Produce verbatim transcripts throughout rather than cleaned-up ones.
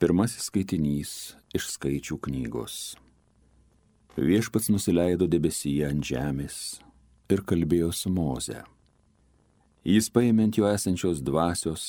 Pirmasis skaitinys iš Skaičių knygos. Viešpats nusileido debesyje ant žemės ir kalbėjo su Moze. Jis paėmė ant jo esančios dvasios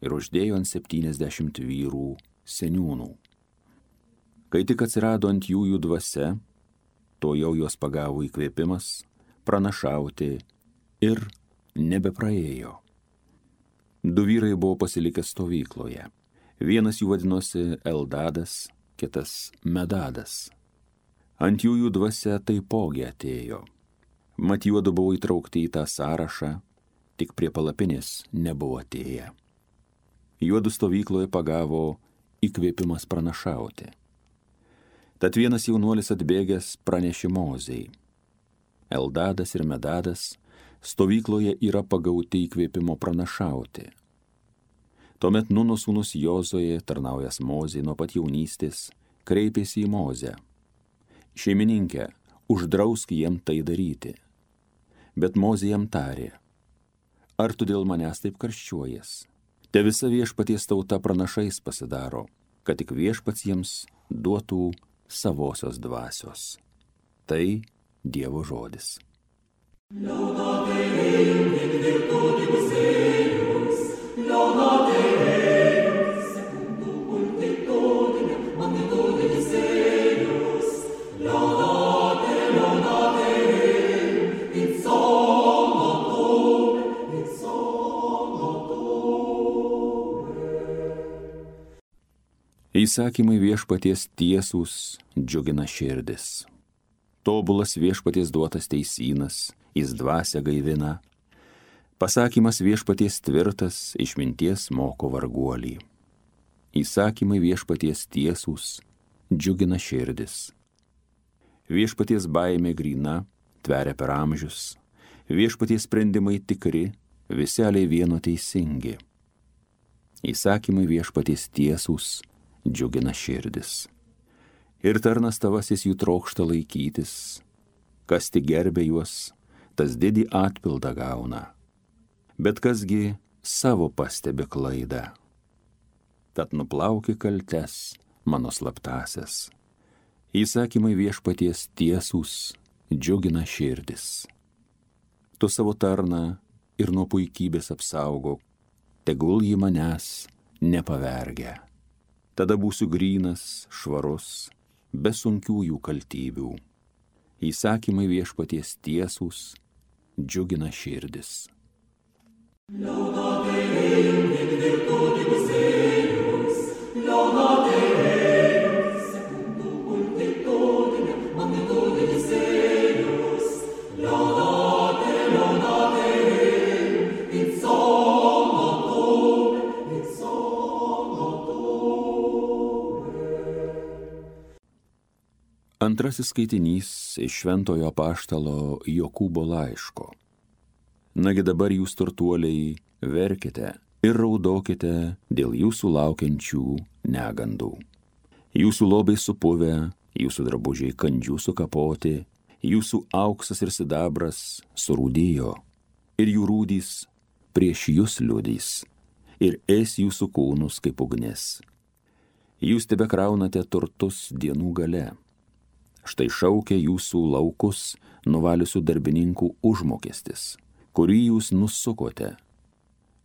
ir uždėjo ant septyniasdešimt vyrų seniūnų. Kai tik atsirado ant jų jų dvasia, to jau jos pagavo įkvėpimas pranašauti ir nebepraėjo. Du vyrai buvo pasilikę stovykloje. Vienas jų vadinosi Eldadas, kitas Medadas. Ant jų jų dvasia taipogi atėjo. Mat juodu buvo įtraukti į tą sąrašą, tik prie palapinės nebuvo atėję. Juodu stovykloje pagavo įkvėpimas pranašauti. Tad vienas jaunuolis atbėgęs pranešė Mozei. Eldadas ir Medadas stovykloje yra pagauti įkvėpimo pranašauti. Tuomet Nuno sūnus Jozuė, tarnaujas Mozei nuo pat jaunystės, kreipėsi į Mozę. Šeimininkė, uždrausk jiem tai daryti. Bet Mozė jam tarė, ar tu dėl manęs taip karščiuojies? Te visa viešpaties tauta pranašais pasidaro, kad tik viešpats jiems duotų savosios dvasios. Tai Dievo žodis. Laudate Deum in virtutibus eius, laudate Deum secundum multitudinem magnitudinis eius, laudate, laudate Deum in somno tuum, in somno tuum. Įsakymai viešpaties tiesūs džiugina širdis. Tobulas viešpaties duotas teisynas, jis dvasią gaivina. Pasakymas viešpaties tvirtas, išminties moko varguolį. Įsakymai viešpaties tiesūs, džiugina širdis. Viešpaties baimė gryna, tveria per amžius. Viešpaties sprendimai tikri, viseliai vieno teisingi. Įsakymai viešpaties tiesūs, džiugina širdis. Ir tarnas tavasis jų trokšta laikytis. Kas tik gerbė juos, tas didį atpildą gauna. Bet kasgi savo pastebi klaidą. Tad nuplauki kaltes, mano slaptasias. Įsakymai viešpaties tiesūs, džiugina širdis. Tu savo tarną ir nuo puikybės apsaugok, tegul jį manęs nepavergia. Tada būsiu grynas, švarus, be sunkiųjų kaltybių. Įsakymai viešpaties tiesūs, džiugina širdis. Laudate Deum in virtutibus eius, laudate Deum secundum multitudinem magnitudinis eius, laudate, laudate Deum in somno tuum, in somno tuum. Antrasis skaitinys iš šventojo apaštalo Jokūbo laiško. Nagi dabar jūs turtuoliai verkite ir raudokite dėl jūsų laukiančių negandų. Jūsų lobai supuvę, jūsų drabužiai kandžių sukapoti, jūsų auksas ir sidabras surūdijo, ir jų rūdys prieš jūs liudys, ir ės jūsų kūnus kaip ugnis. Jūs tebekraunate turtus dienų gale. Štai šaukia jūsų laukus nuvaliusių darbininkų užmokestis, kurį jūs nusukote.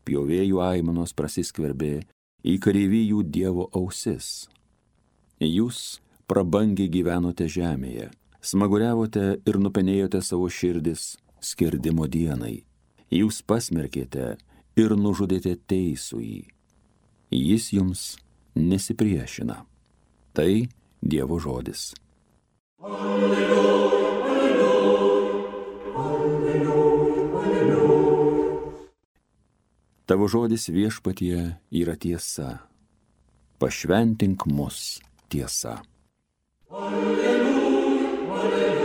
Pjovėjų aimanos prasiskverbė į kareivijų Dievo ausis. Jūs prabangiai gyvenote žemėje, smaguriavote ir nupenėjote savo širdis skerdimo dienai. Jūs pasmerkėte ir nužudėte teisųjį. Jis jums nesipriešina. Tai Dievo žodis. Alleluja, alleluja, alleluja, alleluja. Tavo žodis viešpatie yra tiesa. Pašventink mus tiesa. Alleluja, alleluja.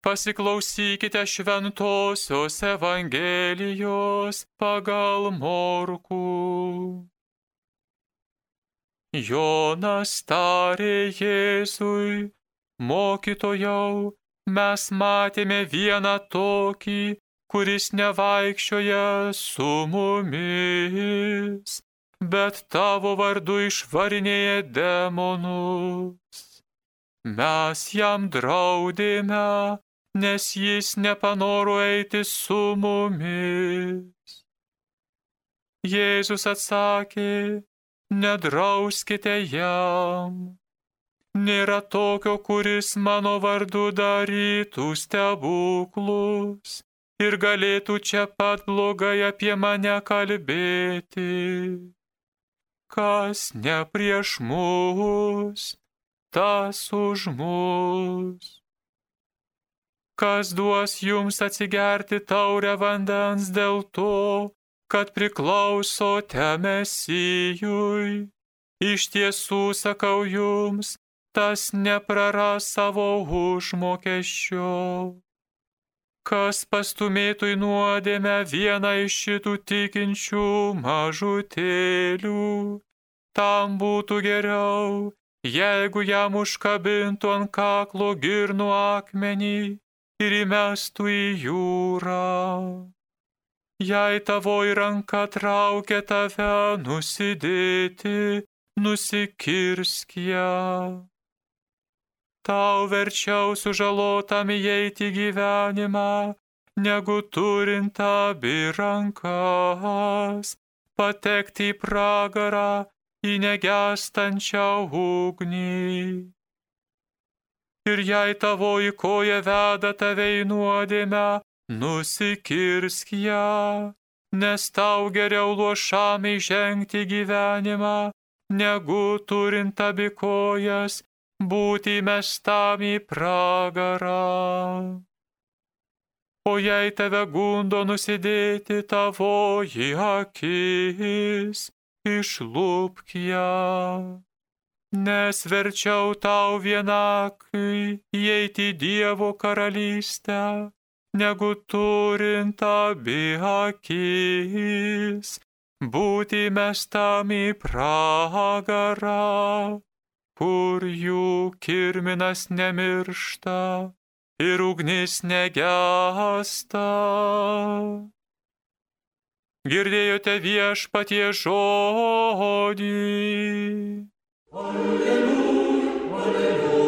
Pasiklausykite šventosios Evangelijos pagal Morkų. Jonas tarė Jėzui: Mokytojau, mes matėme vieną tokį, kuris nevaikščioja su mumis, bet tavo vardu išvarinėja demonus. Mes jam draudėme, nes jis nepanoro eiti su mumis. Jėzus atsakė, nedrauskite jam. Nėra tokio, kuris mano vardu darytų stebuklus ir galėtų čia pat blogai apie mane kalbėti. Kas ne prieš mus, tas už mus. Kas duos jums atsigerti taurę vandens dėl to, kad priklausote Mesijui? Iš tiesų sakau jums, tas nepraras savo užmokesčio. Kas pastumėtų į nuodėmę vieną iš šitų tikinčių mažutėlių, tam būtų geriau, jeigu jam užkabintų ant kaklo girnų akmenį ir įmestų į jūrą. Jei tavoji ranka traukia tave nusidėti, nusikirsk ją. Tau verčiau sužalotam įeiti gyvenimą, negu turint abi rankas, patekti į pragarą, į negęstančią ugnį. Ir jei tavoji koja veda tave į nuodėmę, nusikirsk ją, nes tau geriau luošam įžengti gyvenimą, negu turint abi kojas, būti mestam į pragarą. O jei tave gundo nusidėti tavoji akis, išlupk ją, nes verčiau tau vienakai įeiti į Dievo karalystę, negu turint abi akis, būti mestam į pragarą, kur jų kirminas nemiršta ir ugnis negęsta. Girdėjote Viešpaties žodį. Alleluja, alleluja.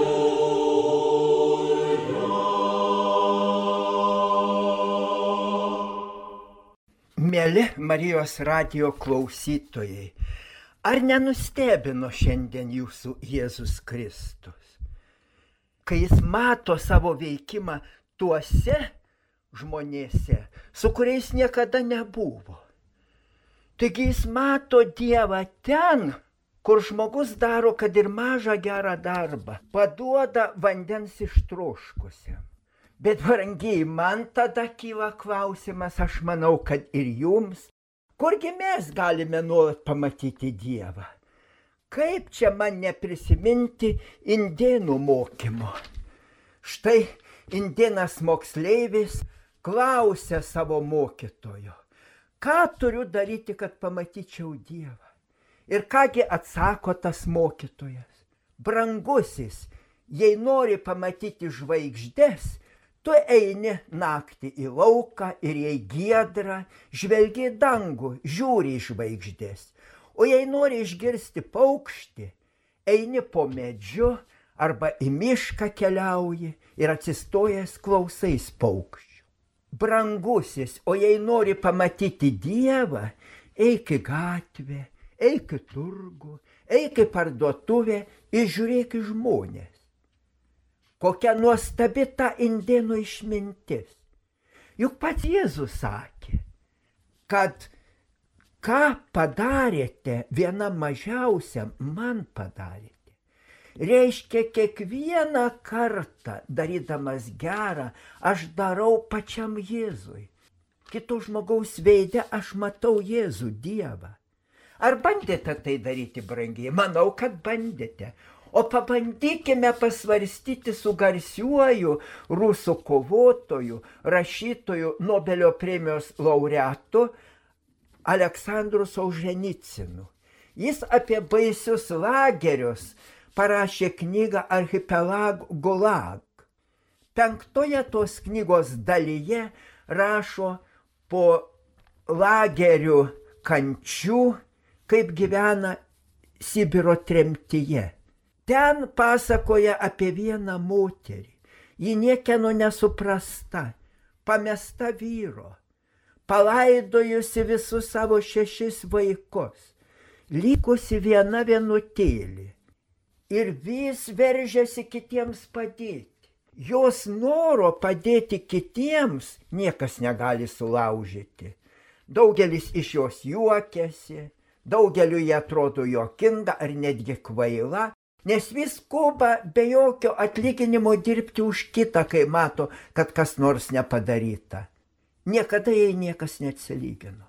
Mieli Marijos radijo klausytojai, ar nenustebino šiandien jūsų Jėzus Kristus, kai jis mato savo veikimą tuose žmonėse, su kuriais niekada nebuvo? Taigi jis mato Dievą ten, kur žmogus daro, kad ir mažą gerą darbą, paduoda vandens ištroškusiam. Bet brangiai, man tada kyla klausimas, aš manau, kad ir jums, kurgi mes galime nuolat pamatyti Dievą? Kaip čia man neprisiminti indėnų mokymo? Štai indėnas moksleivis klausia savo mokytojo, ką turiu daryti, kad pamatyčiau Dievą? Ir kągi atsako tas mokytojas? Brangusis, jei nori pamatyti žvaigždes, tu eini naktį į lauką ir jei giedra, žvelgi į dangų, žiūri į žvaigždės. O jei nori išgirsti paukštį, eini po medžiu arba į mišką keliauji ir atsistojęs klausais paukščių. Brangusis, o jei nori pamatyti Dievą, eik į gatvę, eik į turgų, eik į parduotuvę ir žiūrėk į žmonės. Kokia nuostabi ta indėnų išmintis. Juk pats Jėzus sakė, kad ką padarėte vienam mažiausiam, man padarėte. Reiškia, kiekvieną kartą darydamas gerą, aš darau pačiam Jėzui. Kito žmogaus veide aš matau Jėzų, Dievą. Ar bandėte tai daryti, brangiai? Manau, kad bandėte. O pabandykime pasvarstyti su garsiuoju rusų kovotoju, rašytoju, Nobelio premijos laureatu Aleksandru Solženicinu. Jis apie baisius lagerius parašė knygą Archipelag Gulag. Penktoje tos knygos dalyje rašo po lagerių kančių, kaip gyvena Sibiro tremtyje. Ten pasakoja apie vieną moterį. Ji niekieno nesuprasta, pamesta vyro, palaidojusi visus savo šešis vaikus, likusi viena vienutėlė ir vis veržiasi kitiems padėti. Jos noro padėti kitiems niekas negali sulaužyti. Daugelis iš jos juokiasi, daugeliu jie atrodo juokinga ar netgi kvaila, nes vis skuba be jokio atlyginimo dirbti už kitą, kai mato, kad kas nors nepadaryta. Niekada jai niekas neatsilygino.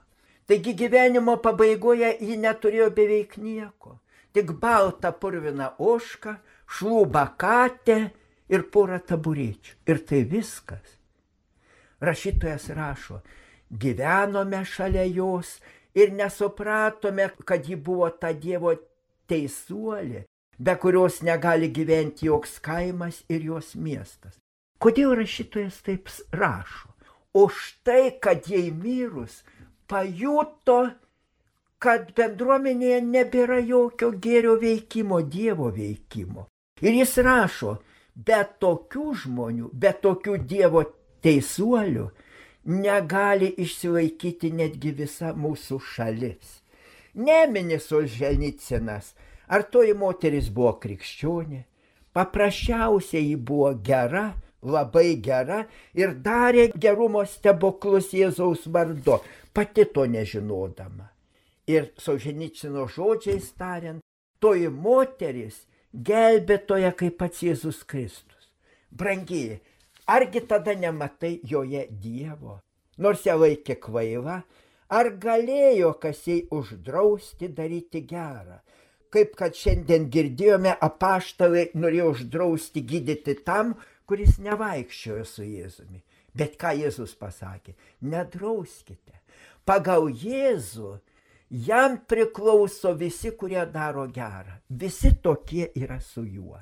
Taigi gyvenimo pabaigoje ji neturėjo beveik nieko. Tik baltą purviną ožką, šlubą katę ir porą taburečių. Ir tai viskas. Rašytojas rašo, gyvenome šalia jos ir nesupratome, kad ji buvo ta Dievo teisuolė, be kurios negali gyventi joks kaimas ir jos miestas. Kodėl rašytojas taip rašo? O štai, kad jai mirus pajuto, kad bendruomenėje nebėra jokio gėrio veikimo, Dievo veikimo. Ir jis rašo, be tokių žmonių, be tokių Dievo teisuolių negali išsilaikyti netgi visa mūsų šalis. Nemini Solženicynas, ar toji moteris buvo krikščionė, paprasčiausiai ji buvo gera, labai gera ir darė gerumo stebuklus Jėzaus vardu, pati to nežinodama. Ir Solženicyno žodžiais tariant, toji moteris gelbėtoja kaip pats Jėzus Kristus. Brangieji, argi tada nematai joje Dievo? Nors ją laikė kvaila, ar galėjo kas jai uždrausti daryti gerą? Kaip kad šiandien girdėjome, apaštalai norėjo uždrausti gydyti tam, kuris nevaikščiojo su Jėzumi. Bet ką Jėzus pasakė? Nedrauskite. Pagal Jėzų jam priklauso visi, kurie daro gerą. Visi tokie yra su juo.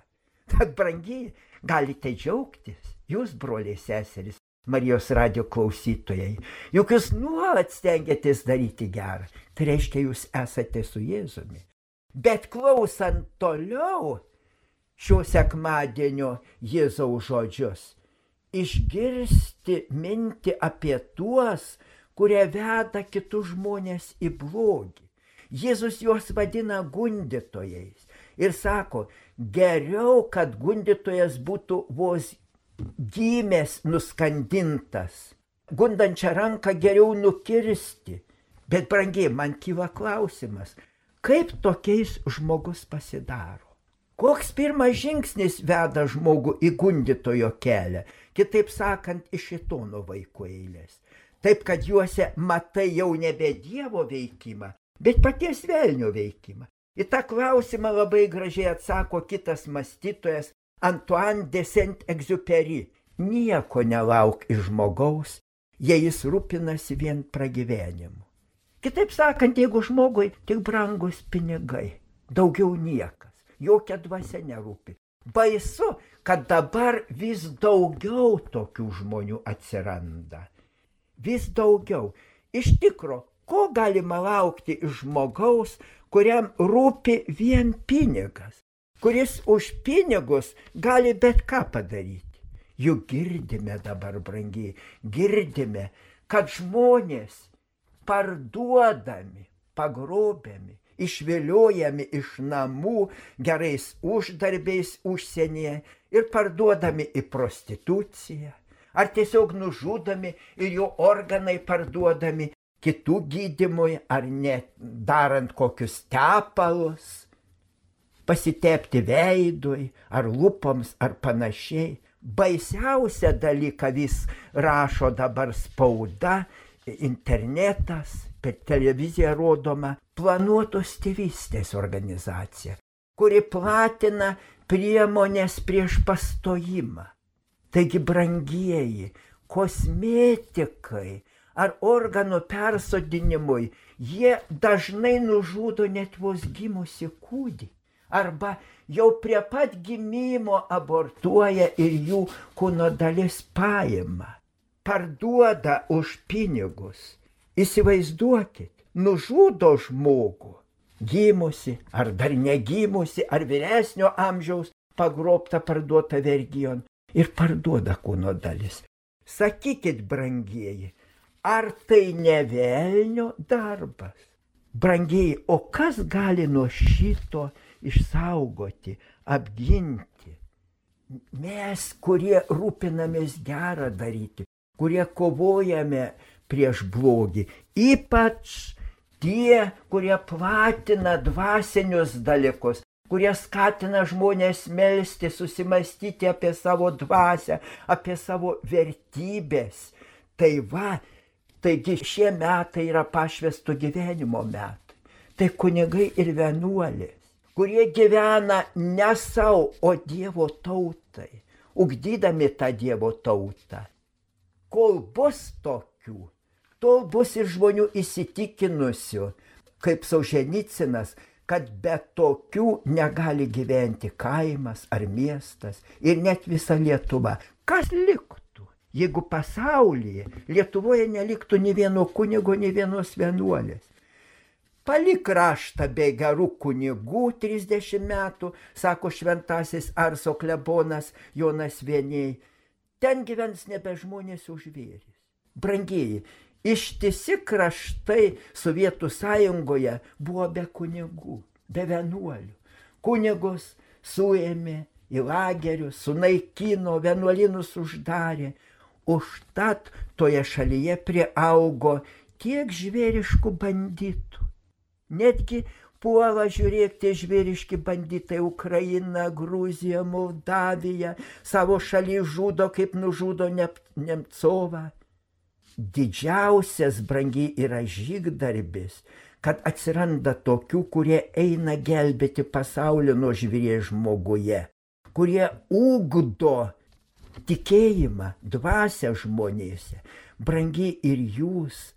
Tad, brangiai, galite džiaugtis, jūs, broliai seserys, Marijos radijo klausytojai, juk jūs nuolat stengiatės daryti gerą. Tai reiškia, jūs esate su Jėzumi. Bet klausant toliau šio sekmadienio Jėzaus žodžius, išgirsti mintį apie tuos, kurie veda kitus žmonės į blogį. Jėzus juos vadina gundytojais ir sako, geriau, kad gundytojas būtų vos gimęs nuskandintas. Gundančią ranką geriau nukirsti. Bet, brangiai, man kyla klausimas, kaip tokiais žmogus pasidaro? Koks pirmas žingsnis veda žmogų į gundytojo kelią? Kitaip sakant, iš šėtono vaikų eilės. Taip, kad juose matai jau nebe Dievo veikimą, bet paties velnio veikimą. Į tą klausimą labai gražiai atsako kitas mąstytojas Antoine de Saint-Exupéry. Nieko nelauk iš žmogaus, jei jis rūpinasi vien pragyvenimu. Kitaip sakant, jeigu žmogui tik brangus pinigai, daugiau niekas, jokia dvasia nerūpi. Baisu, kad dabar vis daugiau tokių žmonių atsiranda. Vis daugiau. Iš tikro, ko galima laukti iš žmogaus, kuriam rūpi vien pinigas, kuris už pinigus gali bet ką padaryti? Juk girdime dabar, brangiai, girdime, kad žmonės parduodami, pagrobiami, išviliojami iš namų gerais uždarbiais užsienyje ir parduodami į prostituciją, ar tiesiog nužudomi ir jų organai parduodami kitų gydymui, ar net darant kokius tepalus, pasitepti veidui, ar lūpoms, ar panašiai. Baisiausia dalyka vis rašo dabar spauda, internetas, per televiziją rodoma planuotos tėvystės organizacija, kuri platina priemonės prieš pastojimą. Taigi, brangieji, kosmetikai ar organų persodinimui, jie dažnai nužudo net vos gimusi kūdikį. Arba jau prie pat gimimo abortuoja ir jų kūno dalis paima. parduoda už pinigus. Įsivaizduokit, nužudo žmogų, gimusi ar dar negimusi, ar vyresnio amžiaus pagrobta, parduota vergijon ir parduoda kūno dalis. Sakykit, brangieji, ar tai ne velnio darbas? Brangieji, o kas gali nuo šito išsaugoti, apginti? Mes, kurie rūpinamės gerą daryti, kurie kovojame prieš blogį, ypač tie, kurie platina dvasinius dalykus, kurie skatina žmonės melsti, susimastyti apie savo dvasią, apie savo vertybės. Tai va, taigi šie metai yra pašvęsto gyvenimo metai. Tai kunigai ir vienuolės, kurie gyvena ne savo, o Dievo tautai, ugdydami tą Dievo tautą. Kol bus tokių, tol bus ir žmonių įsitikinusių, kaip Solženicinas, kad be tokių negali gyventi kaimas ar miestas ir net visa Lietuva. Kas liktų, jeigu pasaulyje, Lietuvoje neliktų nei vieno kunigo, nei vienos vienuolės? Palik kraštą be gerų kunigų trisdešimt metų, sako šventasis Arso klebonas Jonas Vieniai. Ten gyvens nebe žmonės o žvėrys. Brangieji, ištisi kraštai Sovietų sąjungoje buvo be kunigų, be vienuolių. Kunigus suėmė į lagerius, sunaikino, vienuolynus uždarė. Užtat toje šalyje priaugo tiek žvėriškų banditų. Netgi puola, žiūrėk, tie žvėriški banditai Ukraina, Gruzija, Moldavija, savo šalį žudo, kaip nužudo Nemcovą. Didžiausias, brangiai, yra žygdarbis, kad atsiranda tokių, kurie eina gelbėti pasaulio nuo žvėries žmoguje, kurie ugdo tikėjimą, dvasią žmonėse. Brangiai, ir jūs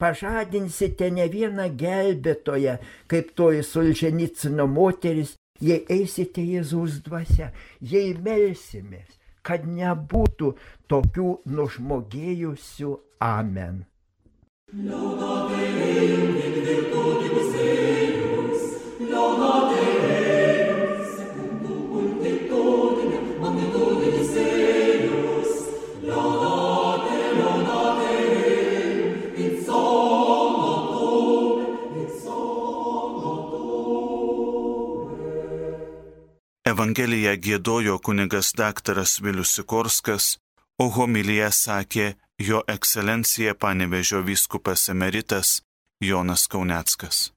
pažadinsite ne vieną gelbėtoją, kaip toji Solženicino moteris, jei eisite Jėzaus dvasia, jei melsimės, kad nebūtų tokių nužmogėjusių. Amen. Evangeliją giedojo kunigas daktaras Vilius Sikorskas, o homiliją sakė jo ekscelencija Panevėžio vyskupas emeritas Jonas Kauneckas.